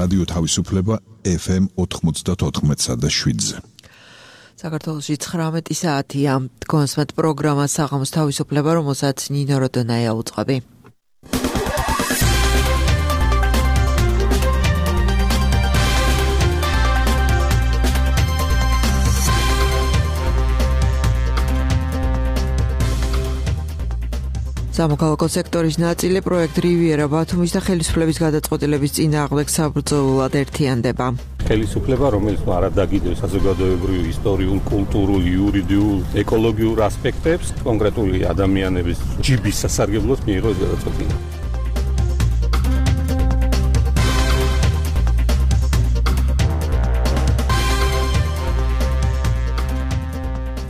რადიო თავისუფლება FM 94.7-ზე. საქართველოში 19 საათია. კონსმეთ პროგრამა საღამოს თავისუფლება, რომელსაც ნინო როდონაია უწყობი. სამოქალაქო სექტორის ნაწილი პროექტ რივიერა ბათუმის და ხელისუფლების გადაწყვეტილების წინააღმდეგ საბრძოლოდ ერთიანდება. ხელისუფლება, რომელიც არადაგიდებს საზოგადოებრივ, ისტორიულ, კულტურულ, იურიდიულ, ეკოლოგიურ ასპექტებს, კონკრეტული ადამიანების ჯიბის სასარგებლოდ მიიღო ეს გადაწყვეტილება.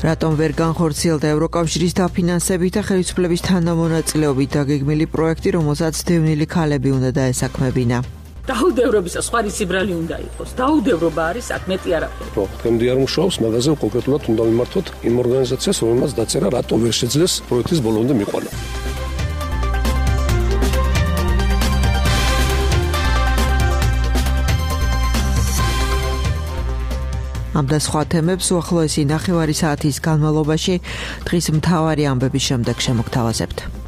რატომ ვერ განხორციელდა ევროკავშირის დაფინანსებით და ხელისუფლების თანამონაწილეობით დაგეგმილი პროექტი, რომელსაც დევნილი ქალები უნდა დაესაქმებინა? დაუდევრობის სხვა სიბრალი უნდა იყოს. დაუდევრობა არის საკმეტი არაფერი. დღემდე არ მუშაობს, მაგაზე კონკრეტულად უნდა მიმართოთ იმ ორგანიზაციას, რომელმაც დაწერა, რატომ ვერ შეძლეს პროექტის ბოლომდე მიყვალა. ამ და სხვა თემებს უახლოესი ნახევარი საათის განმავლობაში დღის მთავარი ამბების შემდეგ შემოგთავაზებთ.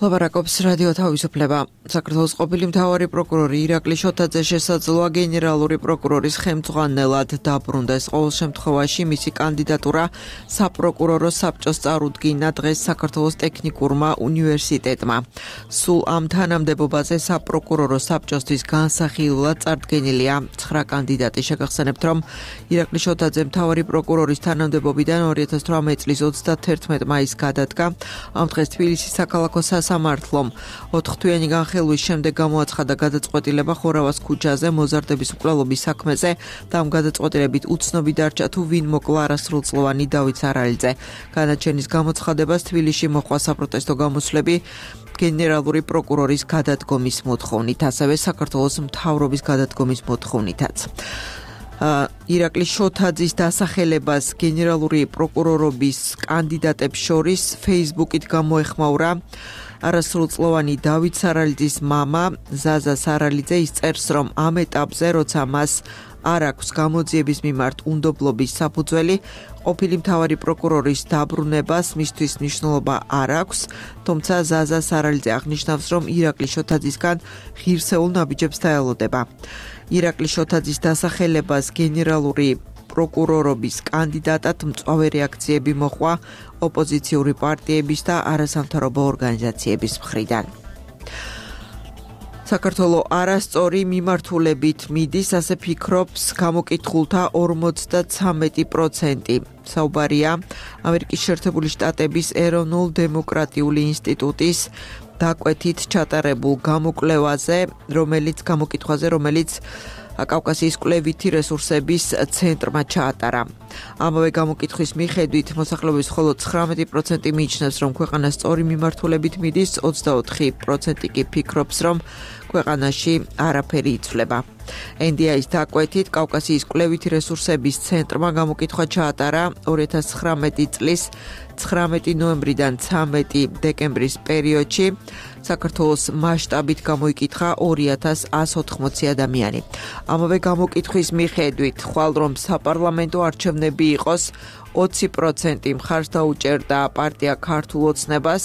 ლაპარაკობს რადიო თავისუფლება. საქართველოს ყოფილი მთავარი პროკურორი ირაკლი შოთაძე შესაძლოა გენერალური პროკურორის ხელმძღვანელად დაბრუნდეს. ყოველ შემთხვევაში მისი კანდიდატურა საპროკურორო საბჭოს წარუდგინა დღეს საქართველოს ტექნიკურმა უნივერსიტეტმა. სულ ამ თანამდებობაზე საპროკურორო საბჭოსთვის განსახილულად წარდგენილია 9 კანდიდატი. შეგახსენებთ, რომ ირაკლი შოთაძე მთავარი პროკურორის თანამდებობიდან 2018 წლის 31 მაისს გადადგა. ამ დღეს თბილისის საქალაქო სამართლომ 4-თვიანი განხილვის შემდეგ გამოაცხადა გადაწყვეტილება ხორავას ქუჩაზე მოზარდების მკვლელობის საქმეზე და ამ გადაწყვეტილებით უცნობი დარჩა თუ ვინ მოკლა არასრულწლოვანი დავით სარალიძე. განაჩენის გამოცხადებას თბილისში მოჰყვა საპროტესტო გამოსვლები გენერალური პროკურორის გადადგომის მოთხოვნით, ასევე საქართველოს მთავრობის გადადგომის მოთხოვნითაც. ირაკლი შოთაძის დასახელებას გენერალური პროკურორობის კანდიდატებს შორის Facebook-ით გამოეხმაურა არასრულწლოვანი დავით სარალიძის მამა ზაზა სარალიძე. ის წერს, რომ ამ ეტაპზე, როცა მას არ აქვს გამოძიების მიმართ უნდობლობის საფუძველი, ყოფილი მთავარი პროკურორის დაბრუნებას მისთვის მნიშვნელობა არ აქვს, თუმცა ზაზა სარალიძე აღნიშნავს, რომ ირაკლი შოთაძისგან ღირსეულ ნაბიჯებს დაელოდება. ირაკლი შოთაძის დასახელებას გენერალური პროკურორობის კანდიდატად მწვავე რეაქციები მოჰყვა ოპოზიციური პარტიების და არასამთავრობო ორგანიზაციების მხრიდან. საქართველოს არასწორი მიმართულებით მიდის, ასე ფიქრობს გამოკითხულთა 53%. საუბარია ამერიკის შეერთებული შტატების ეროვნულ დემოკრატიული ინსტიტუტის დაკვეთით ჩატარებულ გამოკვლევაზე, რომელიც კავკასიის კვლევითი რესურსების ცენტრმა ჩაატარა. ამავე გამოკითხვის მიხედვით მოსახლეობის მხოლოდ 19% მიიჩნევს, რომ ქვეყანა სწორი მიმართულებით მიდის, 24% კი ფიქრობს, რომ ქვეყანაში არაფერი იცვლება. NDI-ის დაკვეთით კავკასიის კვლევითი რესურსების ცენტრმა გამოკითხვა ჩაატარა 2019 წლის 19 ნოემბრიდან 13 დეკემბრის პერიოდში. საქართველოს მასშტაბით გამოიკითხა 2180 ადამიანი. ამავე გამოკითხვის მიხედვით, ხვალ რომ საპარლამენტო არჩევნები იყოს, 20% მხარს დაუჭერდა პარტია ქართულ ოცნებას,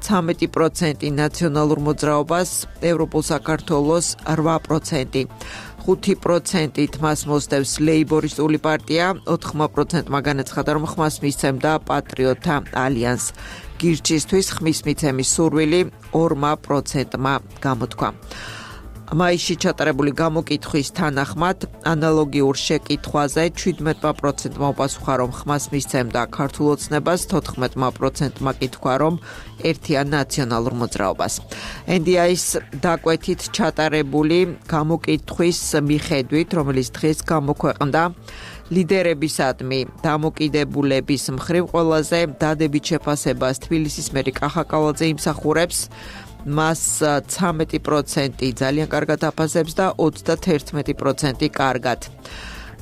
13% ნაციონალურ მოძრაობას, ევროპულ საქართველოს 8%. 5%-ით მას მოსდევს ლეიბორისტული პარტია, 4%-მა განაცხადა, რომ ხმას მისცემდა პატრიოტთა ალიანს. გირჩისთვის ხმის მიცემის სურვილი 2%-მა გამოთქვა. მაისში ჩატარებული გამოკითხვის თანახმად ანალოგიურ შეკითხვაზე 17%-მა უპასუხა, რომ ხმას მისცემდა ქართულ ოცნებას, 14%-მა კი თქვა, რომ ერთიან ნაციონალურ მოძრაობას. NDI-ის დაკვეთით ჩატარებული გამოკითხვის მიხედვით, რომელიც დღეს გამოქვეყნდა, ლიდერებისადმი დამოკიდებულების მხრივ ყველაზე დადებით შეფასებას თბილისის მერი კახაკალაძე იმსახურებს, მას 13% ძალიან კარგად აფასებს და 31% კარგად.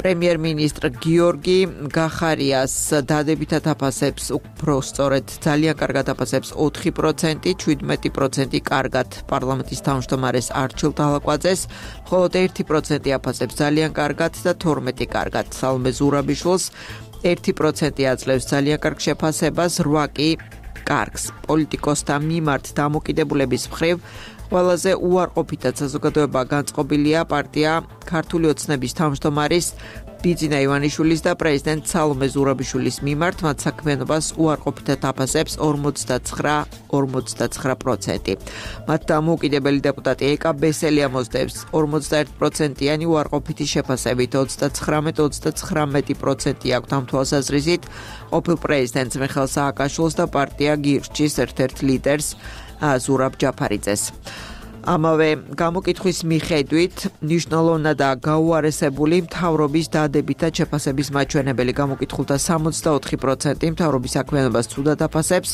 პრემიერ-მინისტრ გიორგი გახარიას დადებითად აფასებს უფრო სწორედ ძალიან კარგად აფასებს 4%, 17% კარგად პარლამენტის თავმჯდომარეს არჩილ დალაკვაძეს, მხოლოდ 1% აფასებს ძალიან კარგად და 12 კარგად სალომე ზურაბიშვილს, 1% აძლევს ძალიან კარგ შეფასებას, 8 კი კარგს. პოლიტიკოსთა მიმართ დამოკიდებულების მხრივ ყველაზე უარყოფითად საზოგადოება განწყობილია პარტია ქართული ოცნების თავმჯდომარის ბიძინა ივანიშვილის და პრეზიდენტ სალომე ზურაბიშვილის მიმართ, მათ საქმიანობას უარყოფითად აფასებს 49%. მათ დამოუკიდებელი დეპუტატი ეკა ბესელი ამოსდევს 51%-იანი უარყოფითი შეფასებით, 39% აქვთ ამ თვალსაზრისით ყოფილ პრეზიდენტს მიხეილ სააკაშვილს და პარტია გირჩის ერთ-ერთ ლიდერს ზურაბ ჯაფარიძეს. ამავე გამოკითხვის მიხედვით ნიშნულოვნადაა გაუარესებული მთავრობის დადებითად შეფასების მაჩვენებელი. გამოკითხულთა 64% მთავრობის საქმიანობას ცუდად აფასებს,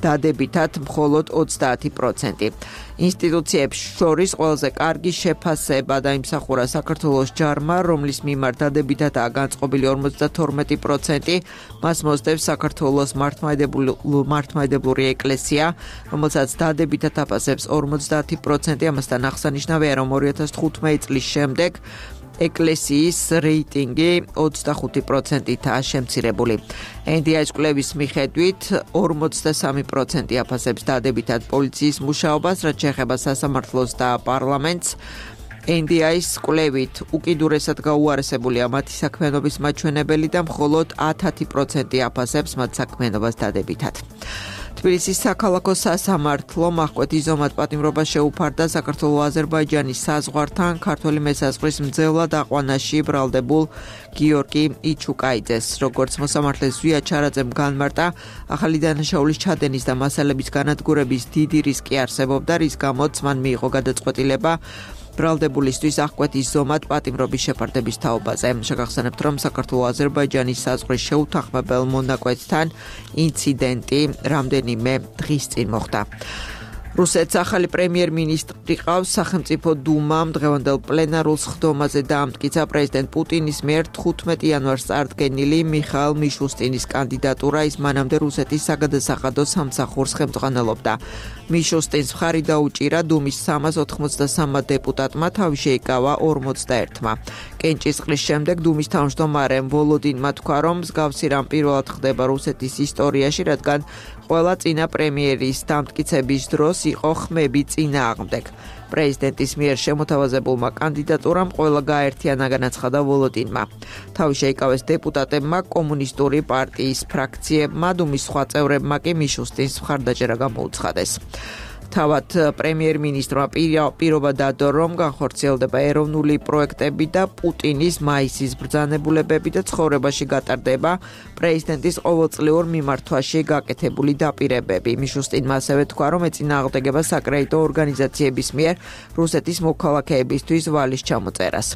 დადებითად მხოლოდ 30%. ინსტიტუციებს შორის ყველაზე კარგი შეფასება დაიმსახურა საქართველოს ჯარმა, რომლის მიმართ დადებითადაა განწყობილი 52%. მას მოსდევს საქართველოს მართლმადიდებლური ეკლესია, რომელსაც დადებითად აფასებს 50%. ამასთან აღსანიშნავია, რომ 2015 წლის შემდეგ ეკლესიის რეიტინგი 25%-აა შემცირებული. NDI-ის კვლევის მიხედვით 43% აფასებს დადებითად პოლიციის მუშაობას, რაც შეეხება სასამართლოს და პარლამენტს. NDI-ის კვლევით უკიდურესად გაუარესებულია მათი საქმიანობის მაჩვენებელი და მხოლოდ 10% აფასებს მათ საქმიანობას დადებითად. თბილისის საქალაქო სასამართლომ აღკვეთ იზომად პატიმრობა შეუფარდა საქართველო-აზერბაიჯანის საზღვართან ქართველი მესაზღვრის მძევლად აყვანაში ბრალდებულ გიორგი იჩუკაიძეს. როგორც მოსამართლეს ზვია ჩარაძემ განმარტა, ახალი დანაშაულის ჩადენის და მასალების განადგურების დიდი რისკი არსებობდა, რის გამოც მან მიიღო გადაწყვეტილება ბრალდებულისთვის აღკვეთ იზომად პატიმრობის შეფარდების თაობაზე. შეგახსენებთ, რომ საქართველო-აზერბაიჯანის საზღვრის შეუთანხმებელ მონაკვეთთან ინციდენტი რამდენიმე დღის წინ მოხდა. რუსეთს ახალი პრემიერ-მინისტრი ყავს. სახელმწიფო დუმამ დღევანდელ პლენარულ სხდომაზე დაამტკიცა პრეზიდენტ პუტინის მიერ 15 იანვარს წარდგენილი მიხაილ მიშუსტინის კანდიდატურა. ის მანამდე რუსეთის საგადასახადო სამსახურს ხელმძღვანელობდა. მიშუსტინს მხარი დაუჭირა დუმის 393 დეპუტატმა, თავი შეიკავა 41-მა. კენჭისყრის შემდეგ დუმის თავმჯდომარემ ვოლოდინმა თქვა, რომ მსგავსი რამ პირველად ხდება რუსეთის ისტორიაში, რადგან ყველა წინა პრემიერის დამტკიცების დროს იყო ხმები წინააღმდეგ. პრეზიდენტის მიერ შემოთავაზებულმა კანდიდატურამ ყველა გაერთიანა განაცხადა ვოლოდინმა. თავი შეიკავეს დეპუტატებმა, კომუნისტური პარტიის ფრაქციებმა, დუმის სხვა წევრებმა კი მიშუსტინს მხარდაჭერა გამოუცხადეს. თავად პრემიერ-მინისტრმა პირობა დადო, რომ განხორციელდება ეროვნული პროექტები და პუტინის მაისის ბრძანებულებები და ცხოვრებაში გატარდება პრეზიდენტის ყოველწლიურ მიმართვაში გაკეთებული დაპირებები. მიშუსტინმა ასევე თქვა, რომ ეწინააღმდეგება საკრედიტო ორგანიზაციების მიერ რუსეთის მოქალაქეებისთვის ვალის ჩამოწერას.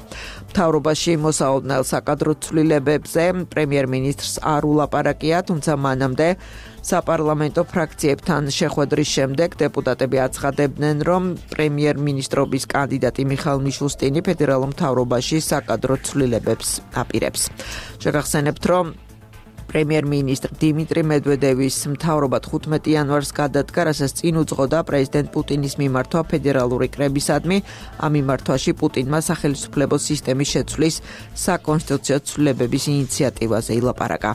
მთავრობაში მოსაოდნელ საკადრო ცვლილებებზე პრემიერ-მინისტრს არ ულაპარაკია, თუმცა მანამდე საპარლამენტო ფრაქციებთან შეხვედრის შემდეგ დეპუტატები აცხადებდნენ, რომ პრემიერ-მინისტრობის კანდიდატი მიხაილ მიშუსტინი ფედერალურ მთავრობაში საკადრო ცვლილებებს აპირებს. შეგახსენებთ, რომ პრემიერ-მინისტრ დიმიტრი მედვედევის მთავრობა 15 იანვარს გადადგა, რასაც წინ უძღოდა პრეზიდენტ პუტინის მიმართვა ფედერალური კრებისადმი. ამ მიმართვაში პუტინმა სახელმწიფო სისტემის შეცვლის საკონსტიტუციო ცვლილებების ინიციატივაზე ილაპარაკა.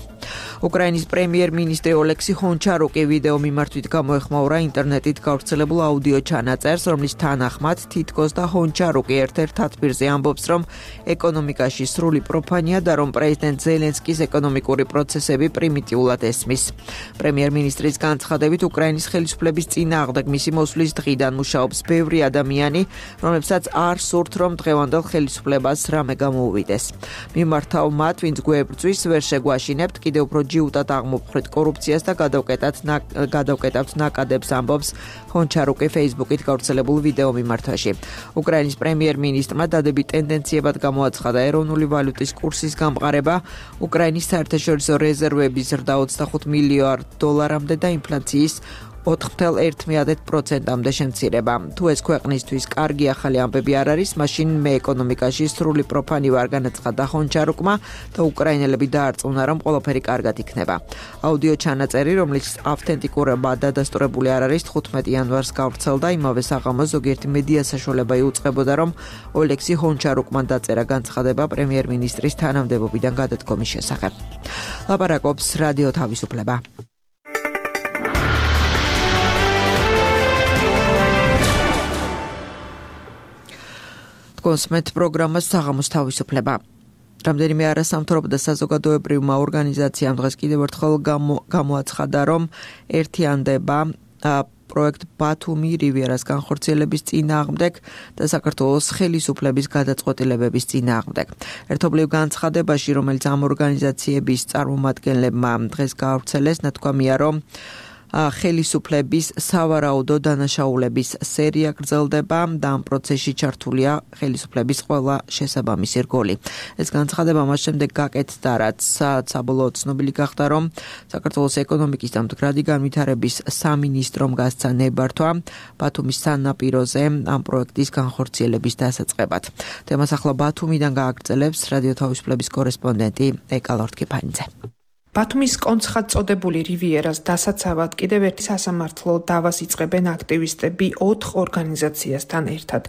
უკრაინის პრემიერ-მინისტრი ოლექსი ჰონჩარუკი ვიდეო მიმართვით გამოეხმაურა ინტერნეტით გავრცელებულ აუდიო ჩანაწერს, რომლის თანახმად თითქოს და ჰონჩარუკი ერთ-ერთ თათბირზე ამბობს, რომ ეკონომიკაში სრული პროფანია და რომ პრეზიდენტ ზელენსკის ეკონომიკური პროცესები პრიმიტიულად ესმის. პრემიერ-მინისტრის განცხადებით, უკრაინის ხელისუფლების წინააღმდეგ მისი მოსვლის დღიდან მუშაობს ბევრი ადამიანი, რომლებსაც არ სურთ, რომ დღევანდელ ხელისუფლებას რამე გამოუვიდეს. მიმართავ მათ, ვინც გვებრძვის, ვერ შეგვაშინებთ, კიდევ უფრო ჯიუტად აღმოფხრით კორუფციას და გადავკეტავთ ნაკადებს, ამბობს ჰონჩარუკი Facebook-ით გავრცელებულ ვიდეო მიმართვაში. უკრაინის პრემიერ-მინისტრმა დადებით ტენდენციებად გამოაცხადა ეროვნული ვალუტის კურსის გამყარება, უკრაინის საერთაშორისო რეზერვების ზრდა $25 მილიარდამდე და ინფლაციის 4.1%-მდე შემცირება. თუ ეს ქვეყნისთვის კარგი ახალი ამბები არ არის, მაშინ მე ეკონომიკაში სრული პროფანი ვარ, განაცხადა ჰონჩარუკმა და უკრაინელები დაარწმუნა, რომ ყველაფერი კარგად იქნება. აუდიო ჩანაწერი, რომლის ავთენტიკურობა დადასტურებული არ არის, 15 იანვარს გავრცელდა. იმავე საღამოს ზოგიერთი მედია საშუალება იუწყებოდა, რომ ოლექსი ჰონჩარუკმა დაწერა განცხადება პრემიერ-მინისტრის თანამდებობიდან გადადგომის შესახებ. ლაპარაკობს რადიო თავისუფლება. კონსმეთ პროგრამას საღამოს თავისუფლება. რამდენიმე არასამთავრობო და საზოგადოებრივმა ორგანიზაციამ დღეს კიდევ ერთხელ გამოაცხადა, რომ ერთიანდება პროექტ ბათუმი რივიერას განხორციელების წინააღმდეგ და საქართველოს ხელისუფლების გადაწყვეტილებების წინააღმდეგ. ერთობლივ განცხადებაში, რომელიც ამ ორგანიზაციების წარმომადგენლებმა დღეს გაავრცელეს, ნათქვამია, რომ ხელისუფლების სავარაუდო დანაშაულების სერია გრძელდება და ამ პროცესში ჩართულია ხელისუფლების ყველა შესაბამისი რგოლი. ეს განცხადება მას შემდეგ გაკეთდა, რაც საბოლოოდ ცნობილი გახდა, რომ საქართველოს ეკონომიკის და მდგრადი განვითარების სამინისტრომ გასცა ნებართვა ბათუმის სანაპიროზე ამ პროექტის განხორციელების დასაწყებად. თემას ახლა ბათუმიდან გააგრძელებს რადიო თავისუფლების კორესპონდენტი ეკა ლორთქიფანიძე. ბათუმის კონცხად წოდებული რივიერას დასაცავად კიდევ ერთი სასამართლო დავას იწყებენ აქტივისტები 4 ორგანიზაციასთან ერთად.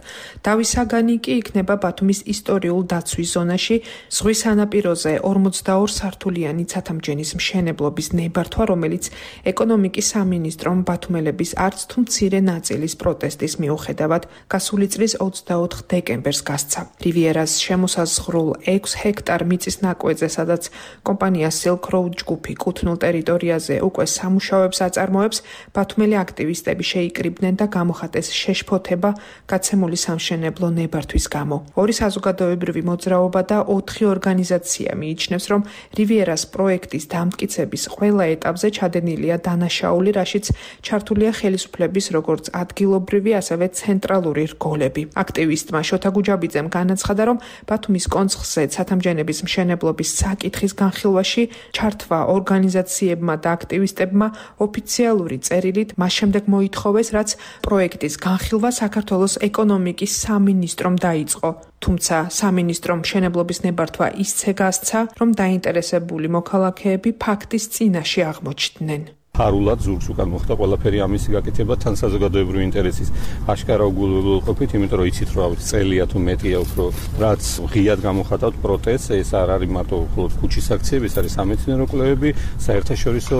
დავის საგანი კი იქნება ბათუმის ისტორიულ დაცვის ზონაში, ზღვის სანაპიროზე 42 სართულიანი ცათამჯენის მშენებლობის ნებართვა, რომელიც ეკონომიკის სამინისტრომ ბათუმელების არც თუ მცირე ნაწილის პროტესტის მიუხედავად გასული წლის 24 დეკემბერს გასცა. რივიერას შემოსაზღვრულ 6 ჰექტარ მიწის ნაკვეთზე, სადაც კომპანია Silk Road ჯგუფი კუთვნილ ტერიტორიაზე უკვე სამუშაოებს აწარმოებს, ბათუმელი აქტივისტები შეიკრიბნენ და გამოხატეს შეშფოთება გაცემული სამშენებლო ნებართვის გამო. 2 საზოგადოებრივი მოძრაობა და 4 ორგანიზაცია მიიჩნევს, რომ რივიერას პროექტის დამტკიცების ყველა ეტაპზე ჩადენილია დანაშაული, რაშიც ჩართულია ხელისუფლების როგორც ადგილობრივი, ასევე ცენტრალური რგოლები. აქტივისტმა შოთა გუჯაბიძემ განაცხადა, რომ ბათუმის კონცხზე ცათამჯენების მშენებლობის საკითხის განხილვაში ჩართვა ორგანიზაციებმა და აქტივისტებმა ოფიციალური წერილით მას შემდეგ მოითხოვეს, რაც პროექტის განხილვა საქართველოს ეკონომიკის სამინისტრომ დაიწყო. თუმცა სამინისტრომ მშენებლობის ნებართვა ისე გასცა, რომ დაინტერესებული მოქალაქეები ფაქტის წინაშე აღმოჩნდნენ. ფარულად ზურგს უკან მოხდა ყველაფერი ამისი გაკეთება თან საზოგადოებრივი ინტერესის აშკარა უგულებელყოფით, იმიტომ რომ იცით რომ წელია თუ მეტია უფრო რაც ღიად გამოხატავთ პროტესტს, ეს არ არის მარტო მხოლოდ ქუჩის აქციები, ეს არის სამეცნიერო კვლევები, საერთაშორისო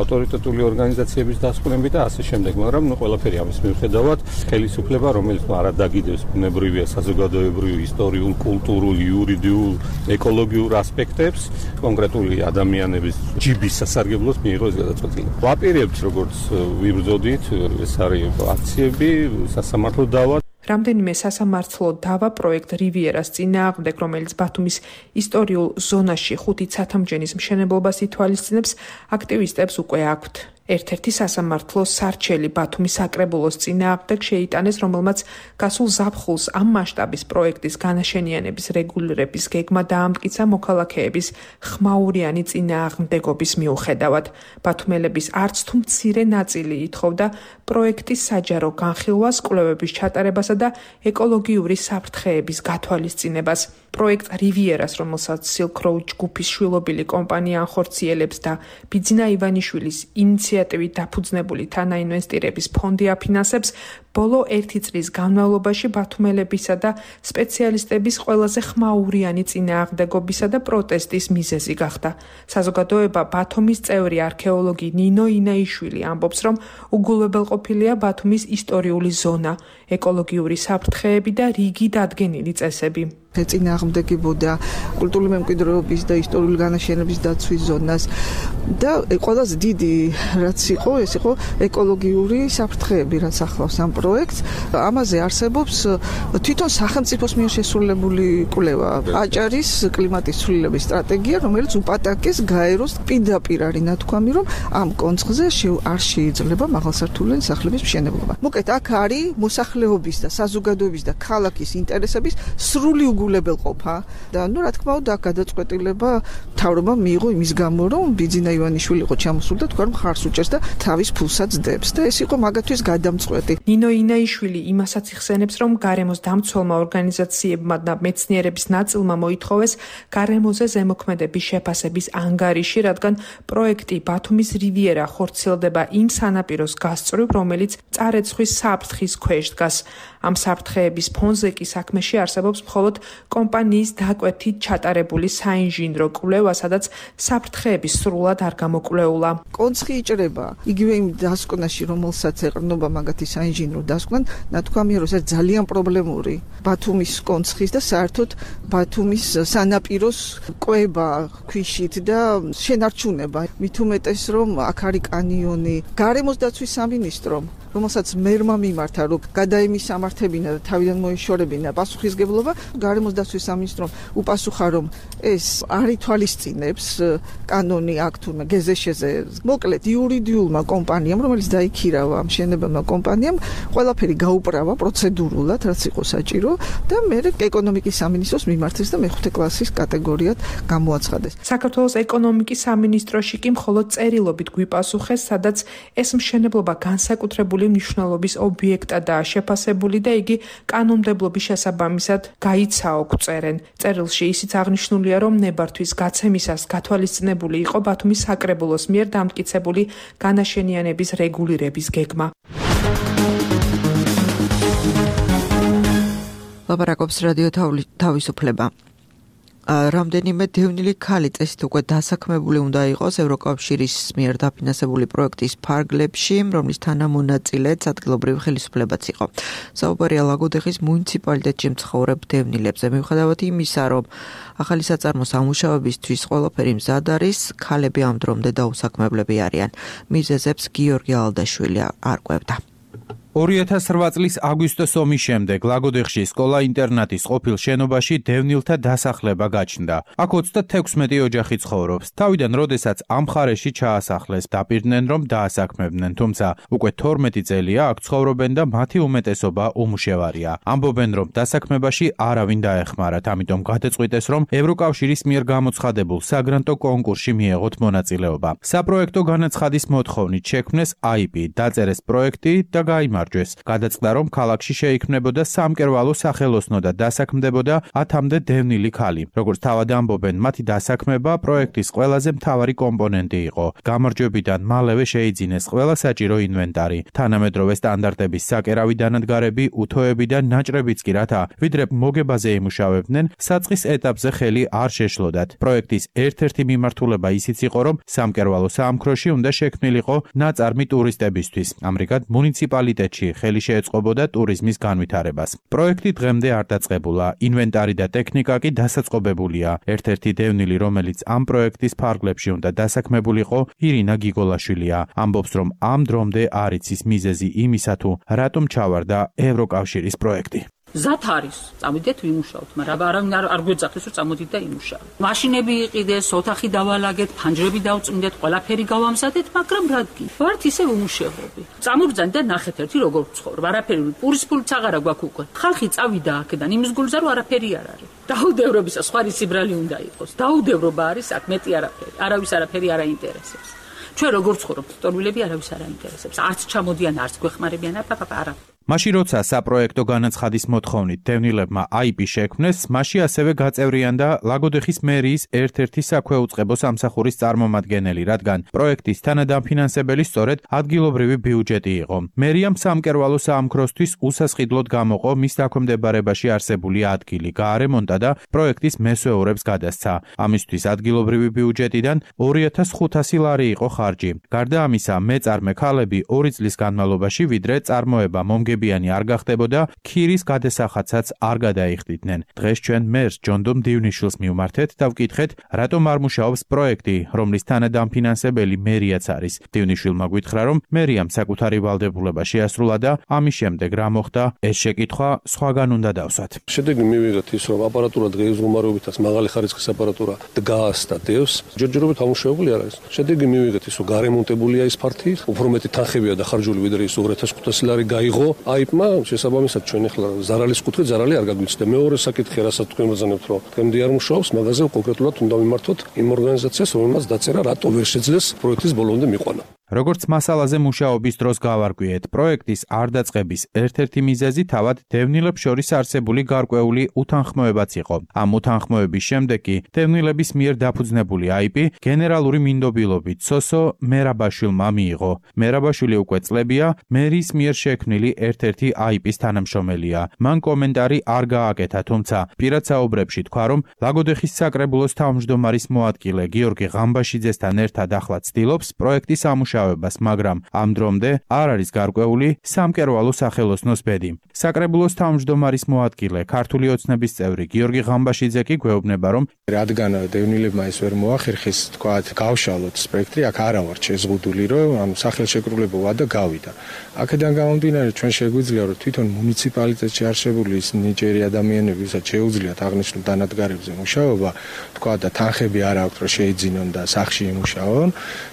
ავტორიტეტული ორგანიზაციების დასკვნები და ასე შემდეგ, მაგრამ ყველაფერი ამის მიუხედავად ხელისუფლება, რომელიც არ დაგიდევს ბუნებრივია საზოგადოებრივ, ისტორიულ, კულტურულ, იურიდიულ, ეკოლოგიურ ასპექტებს, კონკრეტული ადამიანების ჯიბის სასარგებლოს მიიღო ეს გადაწყვეტილება. ვაპირებთ, როგორც ვიბრძოდით, ეს არის აქციები, სასამართლო დავა. რამდენიმე სასამართლო დავა პროექტ რივიერას წინააღმდეგ, რომელიც ბათუმის ისტორიულ ზონაში 5 ცათამჯენის მშენებლობას ითვალისწინებს, აქტივისტებს უკვე აქვთ. ერთ-ერთი სასამართლო სარჩელი ბათუმის საკრებულოს წინააღმდეგ შეიტანეს, რომელმაც გასულ ზაფხულს ამ მასშტაბის პროექტის განაშენიანების რეგულირების გეგმა დაამტკიცა მოქალაქეების ხმაურიანი წინააღმდეგობის მიუხედავად. ბათუმელების არც თუ მცირე ნაწილი ითხოვდა პროექტის საჯარო განხილვას, კვლევების ჩატარებასა და ეკოლოგიური საფრთხეების გათვალისწინებას. პროექტ რივიერას, რომელსაც Silk Road ჯგუფის შვილობილი კომპანია ახორციელებს და ბიძინა ივანიშვილის ინიციატივით დაფუძნებული თანაინვესტირების ფონდი აფინანსებს, ბოლო 1 წლის განმავლობაში ბათუმელებისა და სპეციალისტების ყველაზე ხმაურიანი წინააღმდეგობისა და პროტესტის მიზეზი გახდა. საზოგადოება ბათუმის წევრი არქეოლოგი ნინო ინაიშვილი ამბობს, რომ უგულებელყოფილია ბათუმის ისტორიული ზონა, ეკოლოგიური საფრთხეები და რიგი დადგენილი წესები. წინააღმდეგებოდა კულტურული მემკვიდრეობის და ისტორიული განაშენების დაცვის ზონას და ყველაზე დიდი რაც იყო, ეს იყო ეკოლოგიური საფრთხეები, რაც ახლავს ამ პროექტს. ამაზე არსებობს თვითონ სახელმწიფოს მიერ შესრულებული კვლევა, აჭარის კლიმატის ცვლილების სტრატეგია, რომელიც უპატაკეს გაეროს პირდაპირ არის ნათქვამი, რომ ამ კონცხზე არ შეიძლება მაღალსართულიანი სახლების მშენებლობა. მოკლედ, აქ არის მოსახლეობის და საზოგადოების და ქალაქის ინტერესების სრული უგულებელყოფა და რა თქმა უნდა, გადაწყვეტილება მთავრობამ მიიღო იმის გამო, რომ ბიძინა ივანიშვილი იყო ჩამოსული და თქვა, რომ ხარს უჭერს და თავის ფულსაც დებს და ეს იყო მაგათთვის გადამწყვეტი. ნინო ინაიშვილი იმასაც იხსენებს, რომ გარემოს დამცველმა ორგანიზაციებმა და მეცნიერების ნაწილმა მოითხოვეს გარემოზე ზემოქმედების შეფასების ანგარიში, რადგან პროექტი ბათუმის რივიერა ხორციელდება იმ სანაპიროს გასწვრივ, რომელიც წარეცხვის საფრთხის ქვეშ დგას. ამ საფრთხეების ფონზე კი საქმეში არსებობს მხოლოდ კომპანიის დაკვეთით ჩატარებული საინჟინრო კვლევა, სადაც საფრთხეები სრულად არ გამოკვლეულა. კონცხი იჭრება იგივე იმ დასკვნაში, რომელსაც ეყრდნობა მაგათი საინჟინრო დასკვნა, ნათქვამია, რომ ეს ძალიან პრობლემური ბათუმის კონცხის და საერთოდ ბათუმის სანაპიროს კვება ქვიშით და შენარჩუნება. მით უმეტეს, რომ აქ არის კანიონი. გარემოს დაცვის სამინისტრომ, რომელსაც მერმა მიმართა, რომ გადაემისამართებინა და თავიდან მოეშორებინა პასუხისგებლობა, გარემოს დაცვის სამინისტრომ უპასუხა, რომ ეს არ ითვალისწინებს კანონი აქ თურმე გეზეშეზე. მოკლედ იურიდიულმა კომპანიამ, რომელიც დაიქირავა მშენებელმა კომპანიამ, ყველაფერი გაუპრავა პროცედურულად, რაც იყო საჭირო და მე ეკონომიკის სამინისტროს მიმართეს და მეხუთე კლასის კატეგორიად გამოაცხადეს. საქართველოს ეკონომიკის სამინისტროში კი მხოლოდ წერილობით გვიპასუხეს, სადაც ეს მშენებლობა განსაკუთრებული მნიშვნელობის ობიექტადაა შეფასებული და იგი კანონმდებლობის შესაბამისად გაიცაო წერენ. წერილში ისიც აღნიშნულია, რომ ნებართვის გაცემისას გათვალისწინებული იყო ბათუმის საკრებულოს მიერ დამტკიცებული განაშენიანების რეგულირების გეგმა. ლაპარაკობს რადიო თავისუფლება. რამდენიმე დევნილი ქალი წესით უკვე დასაქმებული უნდა იყოს ევროკავშირის მიერ დაფინანსებული პროექტის ფარგლებში, რომლის თანამონაწილეც ადგილობრივი ხელისუფლებაც იყო. საუბარია ლაგოდეხის მუნიციპალიტეტში მცხოვრებ დევნილებზე. მიუხედავად იმისა, რომ ახალი საწარმოს ამუშავებისთვის ყველაფერი მზად არის, ქალები ამ დრომდე დაუსაქმებლები არიან. მიზეზებს გიორგი ალდაშვილი არკვევდა. 2008 წლის აგვისტოს ომის შემდეგ ლაგოდეხში სკოლა-ინტერნატის ყოფილ შენობაში დევნილთა დასახლება გაჩნდა. აქ 36 ოჯახი ცხოვრობს. თავიდან, როდესაც ამ მხარეში ჩაასახლეს, დაპირდნენ, რომ დაასაქმებდნენ, თუმცა უკვე 12 წელია აქ ცხოვრობენ და მათი უმეტესობა უმუშევარია. ამბობენ, რომ დასაქმებაში არავინ დაეხმარათ, ამიტომ გადაწყვიტეს, რომ ევროკავშირის მიერ გამოცხადებულ საგრანტო კონკურსში მიეღოთ მონაწილეობა. საპროექტო განაცხადის მოთხოვნით შექმნეს IP, დაწერეს პროექტი და გაიმარჯვეს. გადაწყდა, რომ ქალაქში შეიქმნებოდა სამკერვალო სახელოსნო და დასაქმდებოდა 10-მდე დევნილი ქალი. როგორც თავად ამბობენ, მათი დასაქმება პროექტის ყველაზე მთავარი კომპონენტი იყო. გამარჯვებიდან მალევე შეიძინეს ყველა საჭირო ინვენტარი, თანამედროვე სტანდარტების საკერავი დანადგარები, უთოები და ნაჭრებიც კი, რათა ვიდრე მოგებაზე იმუშავებდნენ, საწყის ეტაპზე ხელი არ შეშლოდათ. პროექტის ერთ-ერთი მიმართულება ისიც იყო, რომ სამკერვალო საამქროში უნდა შექმნილიყო ნაწარმი ტურისტებისთვის. ამრიგად მუნიციპალიტეტი ხელი შეეწყობოდა ტურიზმის განვითარებას. პროექტი დღემდე არ დაწყებულა, ინვენტარი და ტექნიკა კი დასაწყობებულია. ერთ-ერთი დევნილი, რომელიც ამ პროექტის ფარგლებში უნდა დასაქმებულიყო, ირინა გიგოლაშვილია. ამბობს, რომ ამ დრომდე არ იცის მიზეზი იმისა, თუ რატომ ჩავარდა ევროკავშირის პროექტი. ზათ არის, წამოდით ვიმუშაოთ, მაგრამ არავინ არ გვეძახეს, რომ წამოდით და იმუშაოთ. მაშინები იყიდეს, ოთახი დავალაგეთ, ფანჯრები დავწმინდეთ, ყველაფერი გავამზადეთ, მაგრამ რადგან ვართ ისე უმუშევრები. წამოგძან და ნახეთ ერთი როგორ ვცხოვრობ, არაფერი პურის ფულიც აღარა გვაქვს უკვე. ხალხი წავიდა აქედან, იმის გულზე რომ არაფერი არ არის. დაუდევრობისა სხვა სიბრალი უნდა იყოს. დაუდევრობა არის აქ მეტი არაფერი. არავის არაფერი არ აინტერესებს. ჩვენ როგორ ვცხოვრობთ, ტოლვილები არავის არ აინტერესებს. არც ჩამოდიან, არც გვეხმარებიან, არა. მაშინ როცა საპროექტო განაცხადის მოთხოვნით დევნილებმა IP შექმნეს, მასში ასევე გაწევრიანდა ლაგოდეხის მერიის ერთ-ერთი საქვეუწყებო სამსახურის წარმომადგენელი, რადგან პროექტის თანადამფინანსებელი სწორედ ადგილობრივი ბიუჯეტი იყო. მერიამ სამკერვალო საამქროსთვის უსასყიდლოდ გამოყო მის დაქვემდებარებაში არსებული ადგილი, გაარემონტა და პროექტის მესვეურებს გადასცა. ამისთვის ადგილობრივი ბიუჯეტიდან 2500 ლარი იყო ხარჯი. გარდა ამისა, მეწარმე ქალები 2 წლის განმავლობაში ვიდრე წარმოება მომგებიანი არ გახდებოდა, ქირის გადასახადსაც არ გადაიხდიდნენ. დღეს ჩვენ მერს ჯონდომ დივნიშვილს მივმართეთ და ვკითხეთ, რატომ არ მუშაობს პროექტი, რომლის თანადამფინანსებელი მერიაც არის. დივნიშვილმა გითხრა, რომ მერიამ საკუთარი ვალდებულება შეასრულა და ამის შემდეგ რა მოხდა, ეს შეკითხვა სხვაგან უნდა დავსვათ. შედეგი მივიღეთ ის, რომ აპარატურა დღეისდღეობით მაღალი ხარისხის აპარატურა დგას და დევს, ჯერჯერობით ამუშავებული არ არის. შედეგი მივიღეთ ის, რომ გარემონტებულია ის ფართი, უფრო მეტი თანხებია დახარჯული, ვიდრე ის 2500 ლარი გაიღო. აიპმა შესაბამისად ჩვენ ახლა ზარალის კუთხე ზარალი არ გაგვიცდა. მეორე საკითხი, რასაც თქვენ მოგზავნებთ, რომ დღემდე არ მუშაობს, მაგაზე კონკრეტულად უნდა მიმართოთ იმ ორგანიზაციას, რომელმაც დაწერა, რატო ვერ შეძლეს პროექტის ბოლომდე მიყვანა. როგორც მასალაზე მუშაობის დროს გავარკვიეთ, პროექტის არ დაწყების ერთ-ერთი მიზეზი თავად დევნილებს შორის არსებული გარკვეული უთანხმოებაც იყო. ამ უთანხმოების შემდეგ კი დევნილების მიერ დაფუძნებული აიპი გენერალური მინდობილობით სოსო მერაბაშვილმა მიიღო. მერაბაშვილი უკვე წლებია მერის მიერ შექმნილი ერთ-ერთი აიპის თანამშრომელია. მან კომენტარი არ გააკეთა, თუმცა პირად საუბრებში თქვა, რომ ლაგოდეხის საკრებულოს თავმჯდომარის მოადგილე გიორგი ღამბაშიძესთან ერთად ახლა ცდილობს პროექტის ამუშავებას, მაგრამ ამ დრომდე არ არის გარკვეული სამკერვალო სახელოსნოს ბედი. საკრებულოს თავმჯდომარის მოადგილე, ქართული ოცნების წევრი გიორგი ღამბაშიძე კი გვეუბნება, რომ რადგან დევნილებმა ეს ვერ მოახერხეს, თქვათ, გავშალოთ სპექტრი, აქ არა ვარ შეზღუდული, რომ სახელშეკრულებო ვადა გავიდა. აქედან გამომდინარე, ჩვენ შეგვიძლია, რომ თვითონ მუნიციპალიტეტში არსებული ის ნიჭიერი ადამიანები, ვისაც შეუძლიათ აღნიშნულ დანადგარებზე მუშაობა, თქვათ და თანხები არ აქვთ, რომ შეიძინონ და სახლში იმუშაონ,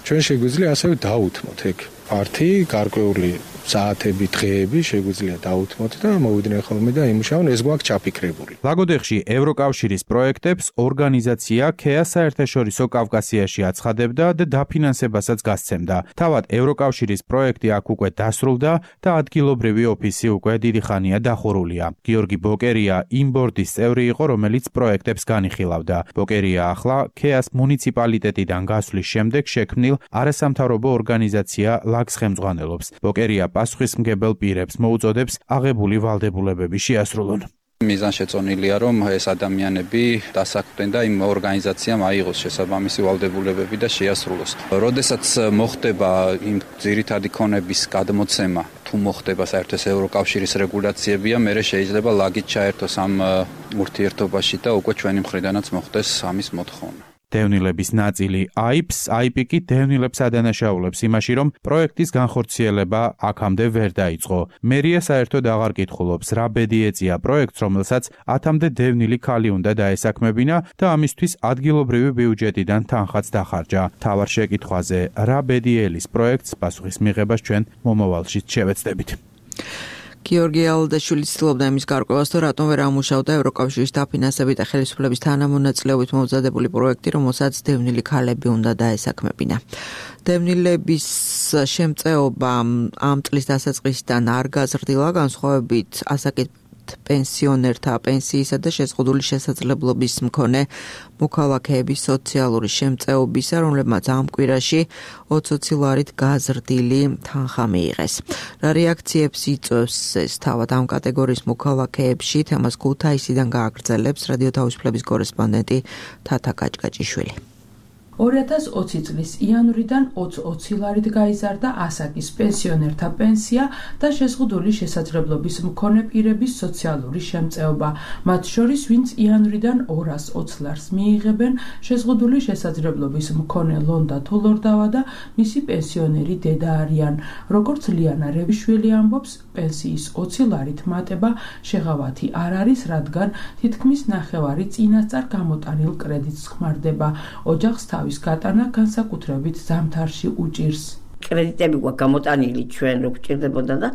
ჩვენ შეგვიძლია ასევე დაუთმოთ ეგ პარტი, გარკვეული საათები, დღეები შეგვიძლია დაუთმოთ და მოვიდნენ ხოლმე და იმუშაონ, ეს გვაქვს ჩაფიქრებული. ლაგოდეხში ევროკავშირის პროექტებს ორგანიზაცია KEA საერთაშორისო კავკასიაში აცხადებდა და დაფინანსებასაც გასცემდა. თავად ევროკავშირის პროექტი აქ უკვე დასრულდა და ადგილობრივი ოფისი უკვე დიდი ხანია დახურულია. გიორგი ბოკერია იმ ბორდის წევრი იყო, რომელიც პროექტებს განიხილავდა. ბოკერია ახლა KEA-ს მუნიციპალიტეტიდან გასვლის შემდეგ შექმნილ არასამთავრობო ორგანიზაცია ლაგს ხელმძღვანელობს. ბოკერია პასუხისმგებელ პირებს მოუწოდებს აღებული ვალდებულებები შეასრულონ. მიზანშეწონილია, რომ ეს ადამიანები დასაქმდნენ და იმ ორგანიზაციამ აიღოს შესაბამისი ვალდებულებები და შეასრულოს. როდესაც მოხდება იმ ძირითადი ქონების გადმოცემა, თუ მოხდება საერთოდ ევროკავშირის რეგულაციებია, მერე შეიძლება ლაგით ჩაერთოს ამ ურთიერთობაში და უკვე ჩვენი მხრიდანაც მოხდეს ამის მოთხოვნა. დევნილების ნაწილი აიპი კი დევნილებს ადანაშაულებს იმაში, რომ პროექტის განხორციელება აქამდე ვერ დაიწყო. მერია საერთოდ აღარ კითხულობს, რა ბედი ეწია პროექტს, რომელსაც 10-მდე დევნილი ქალი უნდა დაესაქმებინა და ამისთვის ადგილობრივი ბიუჯეტიდან თანხაც დახარჯა. თავარ შეკითხვაზე, რა ბედი ელის პროექტს, პასუხის მიღებას ჩვენ მომავალში შევეცდებით. გიორგი ალდაშვილი ცდილობდა იმის გარკვევას, თუ რატომ ვერ ამუშავდა ევროკავშირის დაფინანსებით და ხელისუფლების თანამონაწილეობით მომზადებული პროექტი, რომელსაც დევნილი ქალები უნდა დაესაქმებინა. დევნილების შემწეობა ამ წლის დასაწყისიდან არ გაზრდილა, განსხვავებით ასაკით პენსიონერთა პენსიისა და შეზღუდული შესაძლებლობის მქონე მოქალაქეების სოციალური შემწეობისა, რომლებმაც ამ კვირაში 20 ლარით გაზრდილი თანხა მიიღეს. რა რეაქციებს იწვევს ეს თავად ამ კატეგორიის მოქალაქეებში, თემას ქუთაისიდან გააგრძელებს რადიო თავისუფლების კორესპონდენტი თათა კაჭკაჭიშვილი. 2020 წლის იანვრიდან 20 ლარით გაიზარდა ასაკის პენსიონერთა პენსია და შეზღუდული შესაძლებლობის მქონე პირების სოციალური შემწეობა. მათ შორის, ვინც იანვრიდან 220 ლარს მიიღებენ, შეზღუდული შესაძლებლობის მქონე ლონდა თოლორდავა და მისი პენსიონერი დედა არიან. როგორც ლიანა რევიშვილი ამბობს, პენსიის 20 ლარით მატება შეღავათი არ არის, რადგან თითქმის ნახევარი წინასწარ გამოტანილ კრედიტს ხმარდება. ოჯახს თავის გატანა განსაკუთრებით ზამთარში უჭირს. კრედიტები გვაქვს გამოტანილი ჩვენ რო გვჭირდებოდა და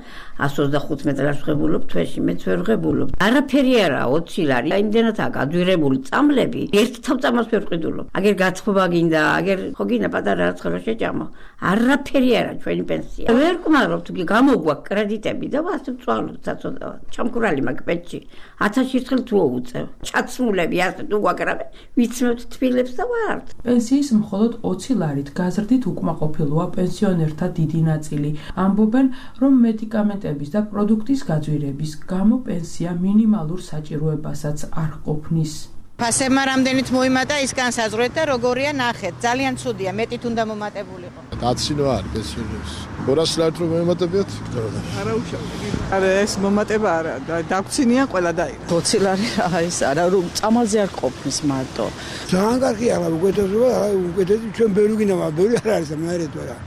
125 მეტრას ვღებულობ თვეში მეც ვერ ვღებულობ. არაფერი არა 20 ლარი. იმდენადაა გადვირებული წამლები, ერთ თავწამას ვერ ვყიდულობ. აგერ გაცხობა გინდა, აგერ ხო გინდა პატარა რაც ხოლმე შეჭამო. არაფერი არა ჩვენი პენსია. ვერ ვკმარობ თუ გამოგვაქვს კრედიტები და ვასწავლ წვალოთ საწოდავა. ჩამქურალი მაგ პენსიში 1000 ერთხელ თუ უწევ. ჩაცმულები ასე თუ გვაგრავე, ვიცნობთ თბილებს და ვარ. პენსიის მხოლოდ 20 ლარით გაზრდით უკმაყოფილოა პენსიონერთა დიდი ნაწილი. ამბობენ, რომ მედიკამენტების და პროდუქტის გაძვირების გამო პენსია მინიმალურ საჭიროებასაც არ ყოფნის. ფასებმა რამდენით მოიმატა ის განსაზღვრეთ და როგორია ნახეთ. ძალიან ცუდია, მეტით უნდა მომატებულიყო. დაცინო არის პენსიონერს. 200 ლარით რომ მოიმატებიათ? არა უშავდი. არა ეს მომატება არა, დაგცინიან ყველა დაიღო. 20 ლარი რა ის არა, რომ წამალზე არ ყოფნის მარტო. ძალიან კარგია, მაგრამ უკეთესობა, უკეთესი ჩვენ ბევრი გინდა, მაგრამ ბევრი არ არის და მე რა.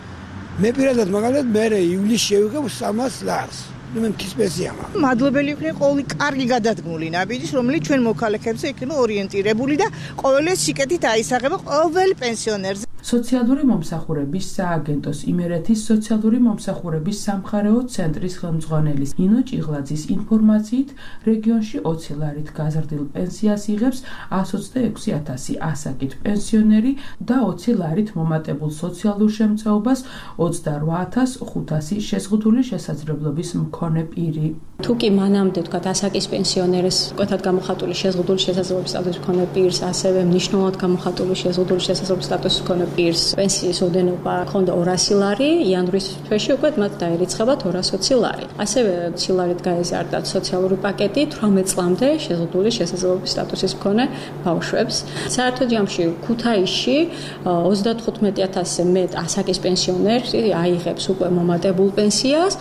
მე პირადად მაგალითად მე ივლისში შევიღებ 300 ლარს. მე მთის პენსია მაქვს. მადლობელი ვიქნები ყოველი კარგი გადადგმული ნაბიჯის, რომელიც ჩვენ მოქალაქეებზე იქნება ორიენტირებული და ყოველი სიკეთით აისაღება ყოველ პენსიონერზე. სოციალური მომსახურების სააგენტოს იმერეთის სოციალური მომსახურების სამხარეო ცენტრის ხელმძღვანელის ინო ჭიღლაძის ინფორმაციით, რეგიონში 20 ლარით გაზრდილ პენსიას იღებს 126,000 ასაკით პენსიონერი და 20 ლარით მომატებულ სოციალურ შემწეობას 28,500 შეზღუდული შესაძლებლობის მქონე პირი. თუ კი მანამდე თქვა ასაკის პენსიონერის კვეთად გამოხატული შეზღუდული შესაძლებლობის სტატუსის მქონე პირს, ასევე მნიშვნელოვნად გამოხატული შეზღუდული შესაძლებლობის სტატუსის მქონე პირს პენსიის ოდენობა ჰქონდა 200 ლარი, იანვრის თვეში უკვე მათ დაერიცხება 220 ლარი. ასევე 20 ლარით გაეზარდა სოციალური პაკეტი 18 წლამდე შეზღუდული შესაძლებლობის სტატუსის მქონე ბავშვებს. საერთოდ ჯამში ქუთაისში 35,000-ზე მეტ ასაკის პენსიონერი აიღებს უკვე მომატებულ პენსიას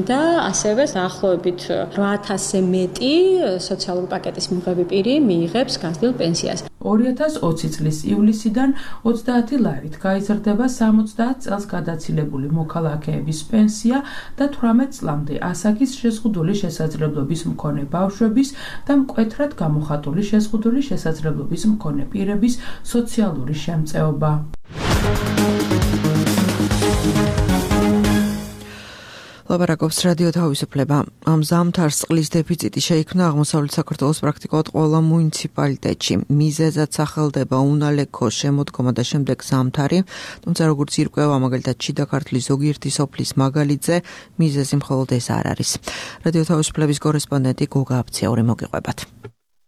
და ასევე დაახლოებით 8,000-ზე მეტი სოციალური პაკეტის მიღები პირი მიიღებს გაზრდილ პენსიას. 2020 წლის ივლისიდან 30 ლარით გაიზრდება 70 წელს გადაცილებული მოქალაქეების პენსია და 18 წლამდე ასაკის შეზღუდული შესაძლებლობის მქონე ბავშვების და მკვეთრად გამოხატული შეზღუდული შესაძლებლობის მქონე პირების სოციალური შემწეობა. ლაპარაკობს რადიო თავისუფლება. ამ ზამთარს წყლის დეფიციტი შეიქმნა აღმოსავლეთ საქართველოს პრაქტიკულად ყველა მუნიციპალიტეტში. მიზეზად სახელდება უნალექო შემოდგომა და შემდეგ ზამთარი, თუმცა როგორც ირკვევა მაგალითად შიდა ქართლის ზოგიერთი სოფლის მაგალითზე, მიზეზი მხოლოდ ეს არ არის. რადიო თავისუფლების კორესპონდენტი გოგა აბციური მოგიყვებათ.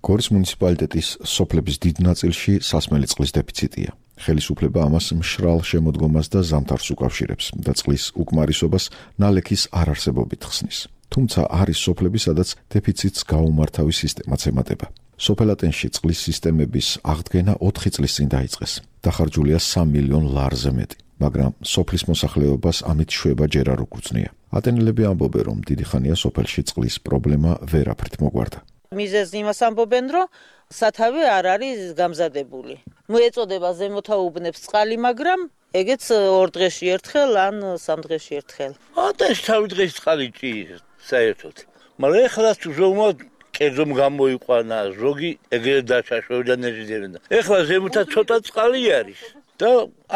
გორის მუნიციპალიტეტის სოფლების დიდ ნაწილში სასმელი წყლის დეფიციტია. ხელისუფლება ამას მშრალ შემოდგომას და ზამთარს უკავშირებს და წყლის უკმარისობას ნალექის არარსებობით ხსნის. თუმცა არის სოფლები, სადაც დეფიციტს გაუმართავი სისტემაც ემატება. სოფელატენში წყლის სისტემების აღდგენა 4 წლის წინ დაიწყეს. დახარჯულია 3 მილიონ ლარზე მეტი, მაგრამ სოფლის მოსახლეობას ამით შვება ჯერ არ უგრძნია. ატენელები ამბობენ, რომ დიდი ხანია სოფელში წყლის პრობლემა ვერაფრით მოგვარდა. მიზეზი იმას ამბობენ, რომ სათავე არ არის გამზადებული. მოეწოდება ზემოთაუბნებს წყალი, მაგრამ ეგეც 2 დღეში ერთხელ ან 3 დღეში ერთხელ. ატენში თავი დღეს წყალი ჭირს საერთოდ. მაგრამ ეხლა თუ ზოგმა კერძომ გამოიყვანა, ზოგი ეგრე დაჩაშოვდა ნეჟიდერენ. ეხლა ზემოთა ცოტა წყალი არის და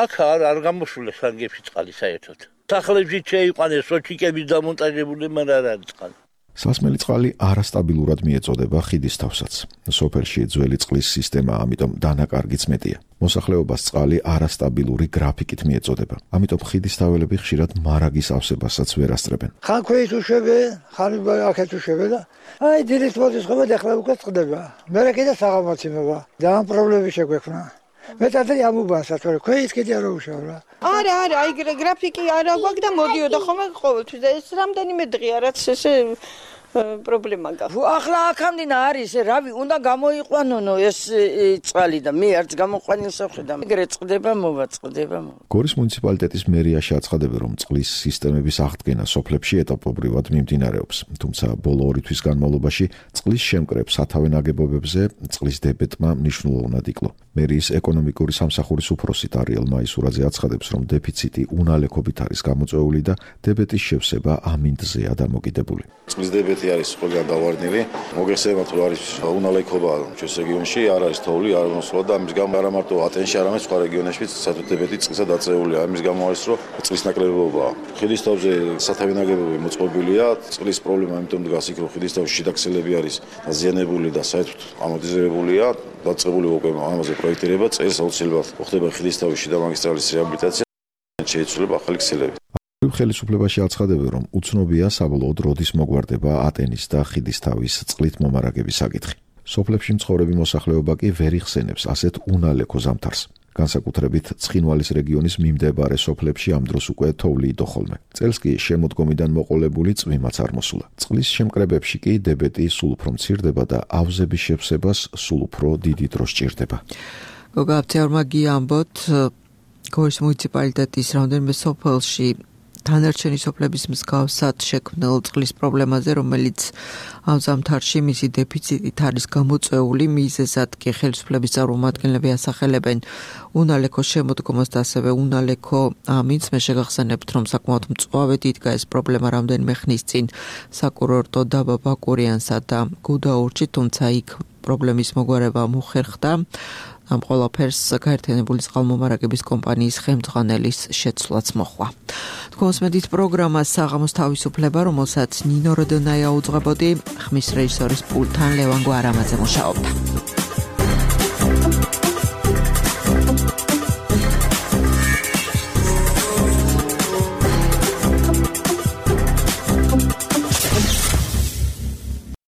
აქ არ გამოსულა სანგებში წყალი საერთოდ. სახლებში შეიყვანეს სოჩიკების დამონტაჟებული, მაგრამ არ არის წყალი. სასმელი წყალი არასტაბილურად მიეწოდება ხიდის თავსაც. სოფელში ძველი წყლის სისტემა, ამიტომ დანაკარგიც მეტია. მოსახლეობას წყალი არასტაბილური გრაფიკით მიეწოდება. ამიტომ ხიდის თაველები ხშირად მარაგის ავსებასაც ვერ ასწრებენ. ხან ქვეით უშვებენ, ხან აქეთ უშვებენ და აი დილის მოძიება ახლა უკვე წყდება. მერე კიდე საღამოციმება და ამ პრობლემები შეგვექმნა. მეტად ამუბანსა, თორე ქვეით კიდე არ უშავ რა. არა, აი გრაფიკი არა გვაქვს და მოდიოდა ხოლმე ყოველთვის და ეს რამდენიმე დღეა რაც ესე პრობლემა გაქვს. ახლა აქამდენა არის, რავი, უნდა გამოიყვანონო ეს წყალი და მე არც გამოყვანილს ვხედა. ეგრე წყდება, მოვაწყდება. გორის მუნიციპალიტეტის მერიაში აცხადებენ, რომ წყლის სისტემების აღდგენა სოფლებში ეტაპობრივად მიმდინარეობს. თუმცა ბოლო 2 თვის განმავლობაში წყლის შემკრებ სათავე ნაგებობებზე წყლის დებეტმა მნიშვნელოვნად იკლო. მერიის ეკონომიკური სამსახურის უფროსი დარიელ მაისურაძე აცხადებს, რომ დეფიციტი უნალექობით არის გამოწვეული და დებეტის შევსება ამინდზეა დამოკიდებული. წყლის დებეტი არის ყველგან დავარდნილი. მოგეხსენებათ, რომ არის უნალექობა ჩვენს რეგიონში, არ არის თოვლი, არ მოსვლა და ამის გამო არა მარტო ატენში, არამედ სხვა რეგიონებშიც სათვეთებეთი წყლისა დაწეულია. ამის გამო არის, რომ წყლის ნაკლებობაა. ხიდის თავზე სათავე ნაგებობები მოწყობილია, წყლის პრობლემა ამიტომ დგას იქ, რომ ხიდის თავში შიდა ქსელები არის დაზიანებული და საერთოდ ამორტიზირებულია, დაწყებული უკვე ამაზე პროექტირება, წელს აუცილებლად ხდება ხიდის თავში შიდა მაგისტრალის რეაბილიტაცია, შეიცვლება ახალი ქსელები. ხელისუფლებაში აცხადებენ, რომ უცნობია საბოლოოდ როდის მოგვარდება ატენის და ხიდის თავის წყლით მომარაგების საკითხი. სოფლებში მცხოვრები მოსახლეობა კი ვერ იხსენებს ასეთ უნალექო ზამთარს. განსაკუთრებით ცხინვალის რეგიონის მიმდებარე სოფლებში ამ დროს უკვე თოვლი იდო ხოლმე. წელს კი შემოდგომიდან მოყოლებული წვიმაც არ მოსულა. წყლის შემკრებებში კი დებეტი სულ უფრო მცირდება და ავზების შევსებას სულ უფრო დიდი დრო სჭირდება. გოგა აბცეურმა გიამბოთ გორის მუნიციპალიტეტის რამდენიმე სოფელში დანარჩენი სოფლების მსგავსად შექმნილ წყლის პრობლემაზე, რომელიც ამ ზამთარში მისი დეფიციტით არის გამოწვეული, მიზეზად კი ხელისუფლების წარმომადგენლები ასახელებენ უნალექო შემოდგომას და ასევე უნალექო ამინდს. მე შეგახსენებთ, რომ საკმაოდ მწვავედ იდგა ეს პრობლემა რამდენიმე ხნის წინ საკურორტო დაბა ბაკურიანსა და გუდაურში, თუმცა იქ პრობლემის მოგვარება მოხერხდა ამ ყველაფერს გაერთიანებული წყალმომარაგების კომპანიის ხელმძღვანელის შეცვლაც მოხდა. თქვენს მედით პროგრამას საღამოს თავისუფლება, რომელსაც ნინო როდონაია უძღვებოდი, ხმის რეჟისორის პულტთან ლევან გვარამაძე მუშაობდა.